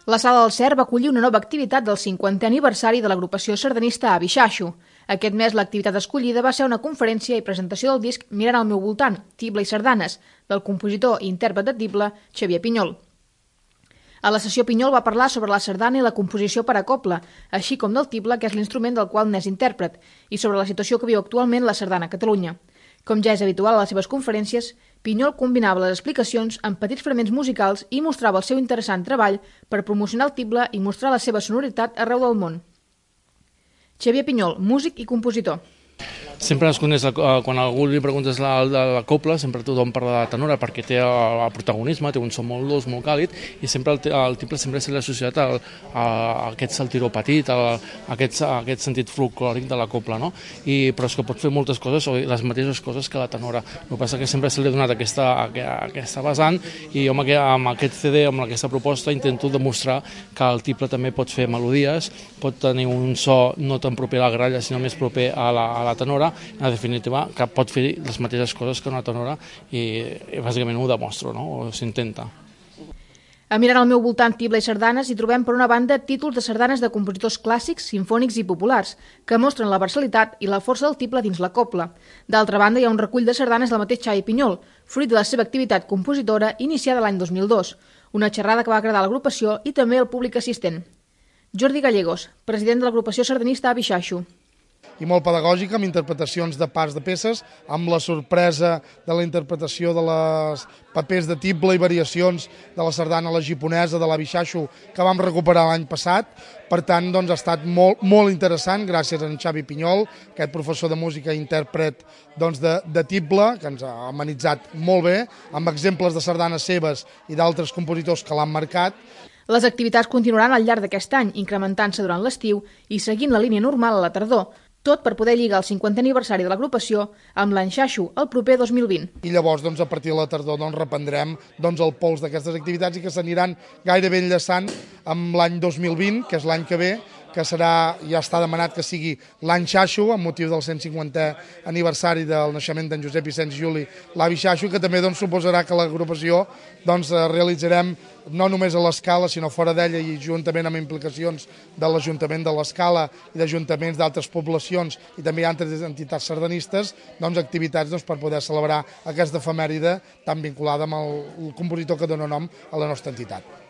La Sala del Cer va acollir una nova activitat del 50è aniversari de l'agrupació sardanista Avi Xaxo. Aquest mes l'activitat escollida va ser una conferència i presentació del disc Mirant al meu voltant, Tible i sardanes, del compositor i intèrpret de tible Xavier Pinyol. A la sessió Pinyol va parlar sobre la sardana i la composició per a cobla, així com del tible, que és l'instrument del qual n'és intèrpret, i sobre la situació que viu actualment la sardana a Catalunya. Com ja és habitual a les seves conferències, Pinyol combinava les explicacions amb petits fragments musicals i mostrava el seu interessant treball per promocionar el tible i mostrar la seva sonoritat arreu del món. Xavier Pinyol, músic i compositor. Sempre es coneix, quan a algú li preguntes la cobla, sempre tothom parla de la tenora perquè té el protagonisme, té un so molt dolç, molt càlid, i sempre el tible sempre s'ha associat a aquest saltiró petit, a aquest sentit folclòric de la cobla, no? Però és que pot fer moltes coses, o les mateixes coses que la tenora. El que passa és que sempre se li ha donat aquesta vessant, i jo amb aquest CD, amb aquesta proposta, intento demostrar que el tible també pot fer melodies, pot tenir un so no tan proper a la gralla, sinó més proper a la tenora, en definitiva, que pot fer les mateixes coses que una tenora, i bàsicament ho demostro, no? O s'intenta. A Mirant al meu voltant, tible i sardanes, hi trobem per una banda títols de sardanes de compositors clàssics, simfònics i populars, que mostren la versatilitat i la força del tible dins la cobla. D'altra banda, hi ha un recull de sardanes del mateix Xavier Pinyol, fruit de la seva activitat compositora iniciada l'any 2002, una xerrada que va agradar a l'agrupació i també al públic assistent. Jordi Gallegos, president de l'agrupació sardanista Avi Xaxo. I molt pedagògica, amb interpretacions de parts de peces, amb la sorpresa de la interpretació de les papers de tible i variacions de la sardana a la japonesa de l'Avi Xaxo, que vam recuperar l'any passat. Per tant, ha estat molt interessant, gràcies a en Xavi Pinyol, aquest professor de música i intèrpret de tible, que ens ha amenitzat molt bé, amb exemples de sardanes seves i d'altres compositors que l'han marcat. Les activitats continuaran al llarg d'aquest any, incrementant-se durant l'estiu i seguint la línia normal a la tardor, tot per poder lligar el 50è aniversari de l'agrupació amb l'any Xaxo el proper 2020. I llavors, a partir de la tardor, reprendrem el pols d'aquestes activitats i que s'aniran gairebé enllaçant amb l'any 2020, que és l'any que ve, que serà, ja està demanat que sigui l'any Xaxo, amb motiu del 150è aniversari del naixement d'en Josep Vicenç Juli, l'Avi Xaxo, que també suposarà que l'agrupació realitzarem no només a l'Escala, sinó fora d'ella i juntament amb implicacions de l'Ajuntament de l'Escala i d'ajuntaments d'altres poblacions i també altres entitats sardanistes, activitats per poder celebrar aquesta efemèride tan vinculada amb el compositor que dona nom a la nostra entitat.